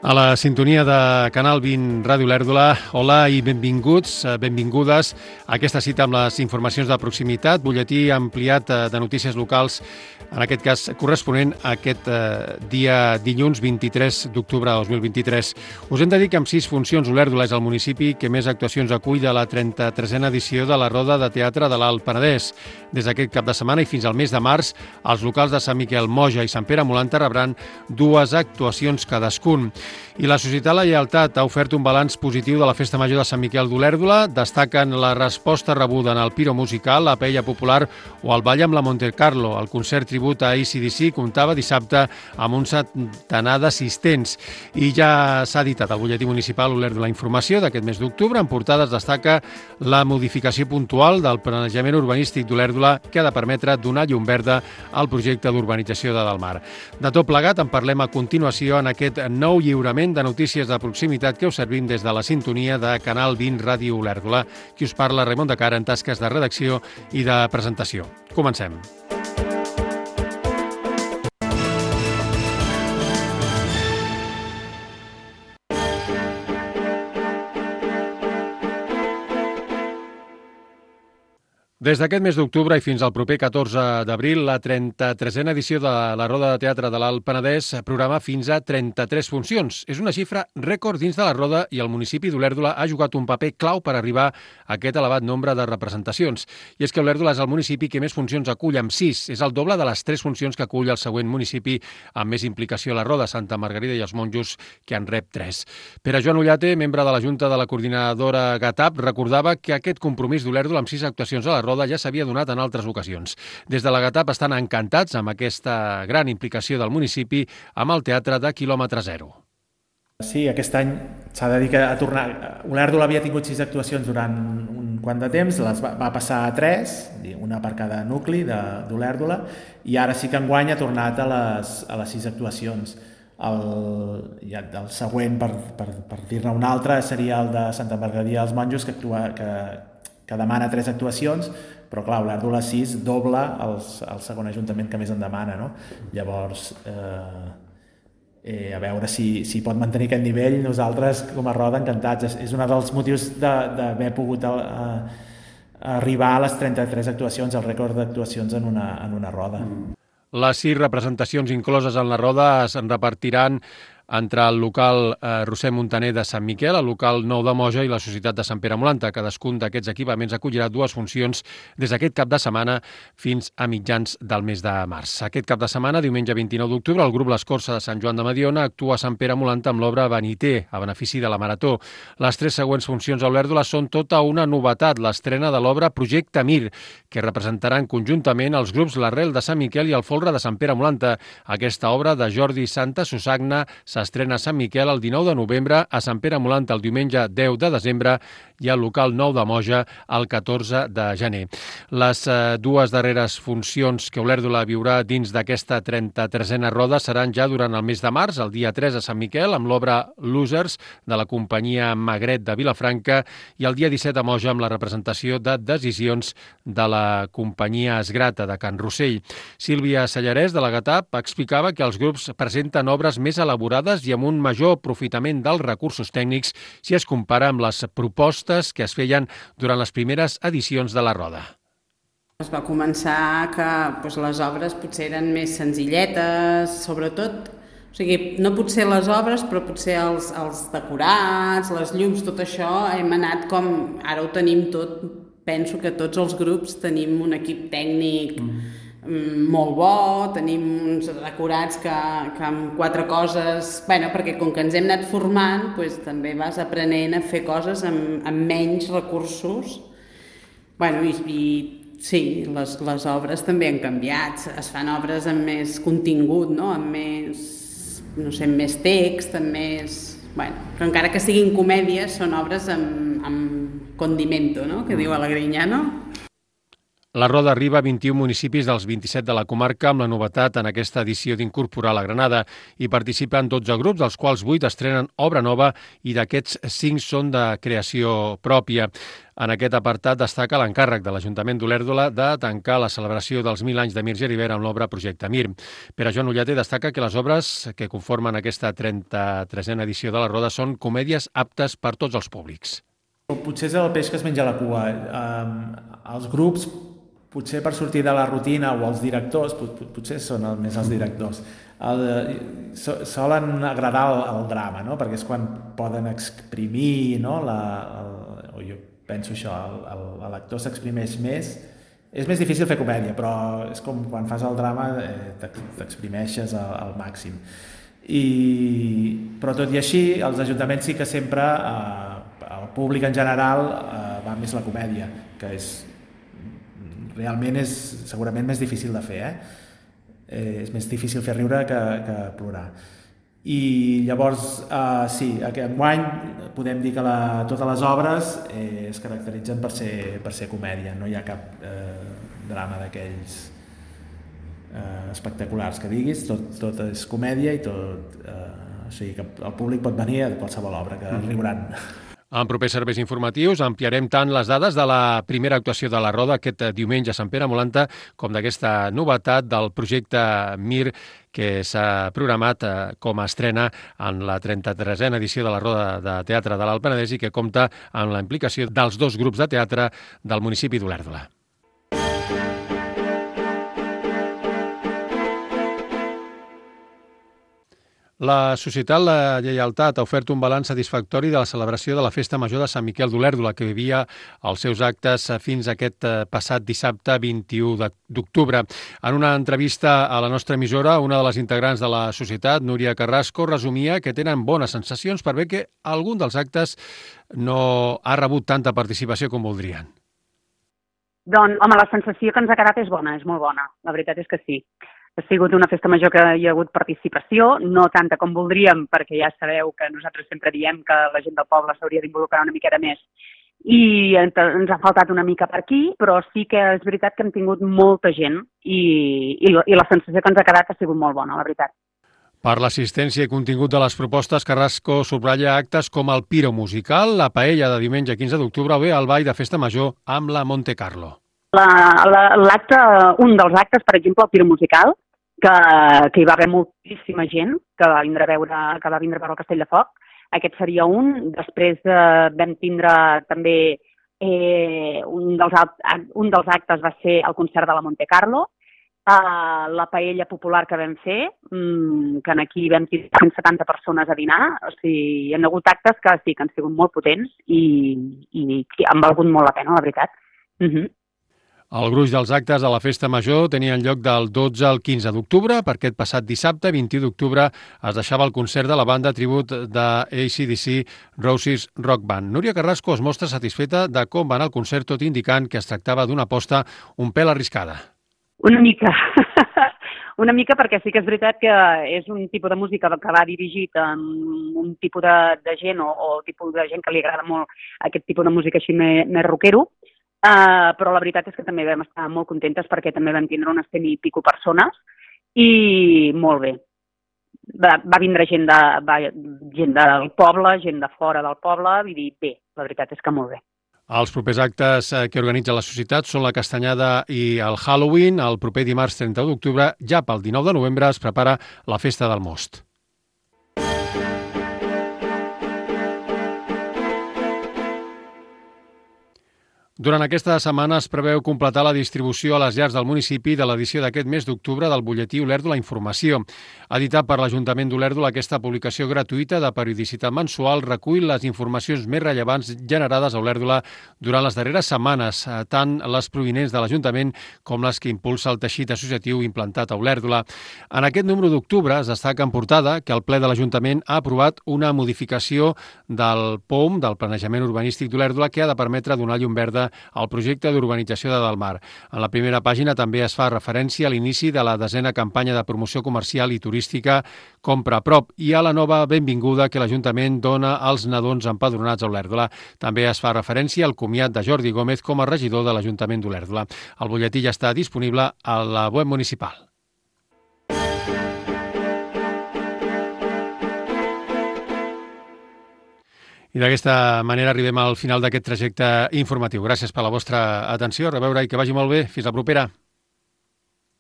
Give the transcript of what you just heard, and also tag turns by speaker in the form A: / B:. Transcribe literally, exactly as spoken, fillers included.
A: A la sintonia de Canal vint Ràdio Olèrdola, hola i benvinguts, benvingudes a aquesta cita amb les informacions de proximitat, butlletí ampliat de notícies locals, en aquest cas corresponent a aquest dia dilluns vint-i-tres d'octubre de dos mil vint-i-tres. Us hem de dir que amb sis funcions Olèrdola és el municipi que més actuacions acull de la trenta-tresena edició de la Roda de Teatre de l'Alt Penedès. Des d'aquest cap de setmana i fins al mes de març, els locals de Sant Miquel, Moja i Sant Pere Molanta rebran dues actuacions cadascun. I la Societat La Lleialtat ha ofert un balanç positiu de la Festa Major de Sant Miquel d'Olèrdola. Destaquen la resposta rebuda en el Piro Musical, la Paella Popular o el Ball amb la Montecarlo. El concert tribut a A C D C comptava dissabte amb un centenar d'assistents. I ja s'ha editat al butlletí municipal Olèrdola Informació d'aquest mes d'octubre. En portades destaca la modificació puntual del planejament urbanístic d'Olèrdola que ha de permetre donar llum verda al projecte d'urbanització de Delmar. De tot plegat en parlem a continuació en aquest nou lliurament de notícies de proximitat que us servim des de la sintonia de Canal vint Ràdio Olèrdola. Qui us parla, Raimon de Cara, en tasques de redacció i de presentació. Comencem. Des d'aquest mes d'octubre i fins al proper catorze d'abril, la trenta-tresena edició de la Roda de Teatre de l'Alt Penedès programa fins a trenta-tres funcions. És una xifra rècord dins de la Roda i el municipi d'Olèrdola ha jugat un paper clau per arribar a aquest elevat nombre de representacions. I és que Olèrdola és el municipi que més funcions acull amb sis. És el doble de les tres funcions que acull el següent municipi amb més implicació a la Roda, Santa Margarida i els Monjos, que en rep tres. Pere Joan Ullate, membre de la Junta de la Coordinadora GATAP, recordava que aquest compromís d'Olèrdola amb sis actuacions a la Roda ja s'havia donat en altres ocasions. Des de la GATAP estan encantats amb aquesta gran implicació del municipi amb el teatre de quilòmetre zero.
B: Sí, aquest any s'ha de dir que a tornar... Olèrdola havia tingut sis actuacions durant un quant de temps, les va, va passar a tres, una per cada nucli d'Olèrdola, i ara sí que enguany ha tornat a les, a les sis actuacions. El, ja, el següent, per, per, per dir-ne un altre, seria el de Santa Margarida dels Monjos, que actua... Que, que demana tres actuacions, però clar, Olèrdola sis dobla el, el segon ajuntament que més en demana, no? Llavors, eh, eh, a veure si, si pot mantenir aquest nivell, nosaltres com a Roda encantats. És, és un dels motius d'haver pogut a, a, a arribar a les trenta-tres actuacions, el rècord d'actuacions en una, en una Roda.
A: Les sis representacions incloses en la Roda es repartiran entre el local eh, Roser Montaner de Sant Miquel, el local Nou de Moja i la Societat de Sant Pere Molanta. Cadascun d'aquests equipaments acollirà dues funcions des d'aquest cap de setmana fins a mitjans del mes de març. Aquest cap de setmana, diumenge vint-i-nou d'octubre, el grup L'Escorça de Sant Joan de Mediona actua a Sant Pere Molanta amb l'obra Beniter, a benefici de la Marató. Les tres següents funcions a Olèrdola són tota una novetat, l'estrena de l'obra Projecte Mir, que representaran conjuntament els grups L'Arrel de Sant Miquel i el Folre de Sant Pere Molanta. Aquesta obra de Jordi Santa Susagna s'estrena a Sant Miquel el dinou de novembre, a Sant Pere Molanta el diumenge deu de desembre i al local Nou de Moja el catorze de gener. Les eh, dues darreres funcions que Olèrdola viurà dins d'aquesta trenta-tresena roda seran ja durant el mes de març, el dia tres a Sant Miquel, amb l'obra Losers de la companyia Magret de Vilafranca i el dia disset a Moja amb la representació de Decisions de la companyia Esgrata de Can Rossell. Sílvia Sallarès de la GATAP explicava que els grups presenten obres més elaborades i amb un major aprofitament dels recursos tècnics si es compara amb les propostes que es feien durant les primeres edicions de la Roda.
C: Es va començar que doncs, les obres potser eren més senzilletes, sobretot, o sigui, no potser les obres, però potser els, els decorats, les llums, tot això, hem anat com, ara ho tenim tot, penso que tots els grups tenim un equip tècnic mm. molt bo, tenim uns decorats que, que amb quatre coses, bueno, perquè com que ens hem anat formant, doncs, també vas aprenent a fer coses amb, amb menys recursos. Bueno, i, i sí, les, les obres també han canviat, es fan obres amb més contingut, no? Amb més, no sé, amb més text, amb més... Bueno, però encara que siguin comèdies, són obres amb, amb condimento, no? Que diu a la Grinyano.
A: La Roda arriba a vint-i-un municipis dels vint-i-set de la comarca amb la novetat en aquesta edició d'incorporar la Granada. Hi participen dotze grups, dels quals vuit estrenen obra nova i d'aquests cinc són de creació pròpia. En aquest apartat destaca l'encàrrec de l'Ajuntament d'Olèrdola de tancar la celebració dels mil anys de Mir Geribert amb l'obra Projecte Mir. Pere Joan Ullate destaca que les obres que conformen aquesta trenta-tresena edició de la Roda són comèdies aptes per tots els públics.
B: Potser és el peix que es menja la cua. Eh, els grups, potser per sortir de la rutina, o els directors, potser són el, més els directors, el, so, solen agradar el, el drama, no? Perquè és quan poden exprimir, no? La, el, o jo penso això, l'actor s'exprimeix més. És més difícil fer comèdia, però és com quan fas el drama eh, t'exprimeixes al, al màxim. I, però tot i així, els ajuntaments sí que sempre, eh, el públic en general, eh, va més la comèdia, que és realment és segurament més difícil de fer, eh? Eh, és més difícil fer riure que, que plorar. I llavors, eh, sí, enguany podem dir que la, totes les obres eh, es caracteritzen per ser, per ser comèdia, no hi ha cap eh, drama d'aquells eh, espectaculars que diguis, tot, tot és comèdia i tot, eh, o sigui que el públic pot venir a qualsevol obra, que riuran.
A: En propers serveis informatius ampliarem tant les dades de la primera actuació de la Roda aquest diumenge a Sant Pere Molanta com d'aquesta novetat del projecte Mir que s'ha programat com a estrena en la trenta-tresena edició de la Roda de Teatre de l'Alt Penedès i que compta amb la implicació dels dos grups de teatre del municipi d'Olèrdola. La Societat La Lleialtat ha ofert un balanç satisfactori de la celebració de la Festa Major de Sant Miquel d'Olèrdola, que vivia els seus actes fins a aquest passat dissabte vint-i-u d'octubre. En una entrevista a la nostra emissora, una de les integrants de la Societat, Núria Carrasco, resumia que tenen bones sensacions per bé que algun dels actes no ha rebut tanta participació com voldrien.
D: Doncs, home, la sensació que ens ha quedat és bona, és molt bona. La veritat és que sí. Ha sigut una festa major que hi ha hagut participació, no tanta com voldríem, perquè ja sabeu que nosaltres sempre diem que la gent del poble s'hauria d'involucrar una miqueta més i ens ha faltat una mica per aquí, però sí que és veritat que hem tingut molta gent i, i, i la sensació que ens ha quedat ha sigut molt bona, la veritat.
A: Per l'assistència i contingut de les propostes, Carrasco subratlla actes com el Piro Musical, la paella de diumenge quinze d'octubre o bé el ball de festa major amb la Monte Carlo.
D: L'acte, un dels actes, per exemple, el Piro Musical, que, que hi va haver moltíssima gent que va vindre a veure, que va vindre a veure el Castell de Foc. Aquest seria un. Després eh, vam tindre també eh, un, dels, un dels actes va ser el concert de la Monte Carlo, eh, la paella popular que vam fer, mmm, que aquí vam tenir cent setanta persones a dinar. O sigui, hi ha hagut actes que sí que han sigut molt potents i, i, i han valgut molt la pena, la veritat. Uh-huh.
A: El gruix dels actes de la Festa Major tenien lloc del dotze al quinze d'octubre. Per aquest passat dissabte, vint-i-u d'octubre, es deixava el concert de la banda tribut de A C D C Roses Rock Band. Núria Carrasco es mostra satisfeta de com va anar el concert, tot indicant que es tractava d'una aposta un pèl arriscada.
D: Una mica. Una mica perquè sí que és veritat que és un tipus de música que va dirigit a un tipus de, de gent o, o tipus de gent que li agrada molt aquest tipus de música així més, més rockero. Uh, però la veritat és que també vam estar molt contentes perquè també vam tindre unes cent i pico persones i molt bé. Va, va vindre gent, de, va, gent del poble, gent de fora del poble, i dir bé, la veritat és que molt bé.
A: Els propers actes que organitza la societat són la Castanyada i el Halloween. El proper dimarts trenta d'octubre, ja pel dinou de novembre, es prepara la Festa del Most. Durant aquesta setmana es preveu completar la distribució a les llars del municipi de l'edició d'aquest mes d'octubre del butlletí Olèrdola Informació. Editat per l'Ajuntament d'Olèrdola, aquesta publicació gratuïta de periodicitat mensual recull les informacions més rellevants generades a Olèrdola durant les darreres setmanes, tant les provinents de l'Ajuntament com les que impulsa el teixit associatiu implantat a Olèrdola. En aquest número d'octubre es destaca en portada que el ple de l'Ajuntament ha aprovat una modificació del P O M, del Planejament Urbanístic d'Olèrdola, que ha de permetre donar llum verda al projecte d'urbanització de Delmar. En la primera pàgina també es fa referència a l'inici de la desena campanya de promoció comercial i turística Compra a prop i a la nova benvinguda que l'Ajuntament dona als nadons empadronats a Olèrdola. També es fa referència al comiat de Jordi Gómez com a regidor de l'Ajuntament d'Olèrdola. El butlletí ja està disponible a la web municipal. I d'aquesta manera arribem al final d'aquest trajecte informatiu. Gràcies per la vostra atenció, a reveure i que vagi molt bé. Fins la propera.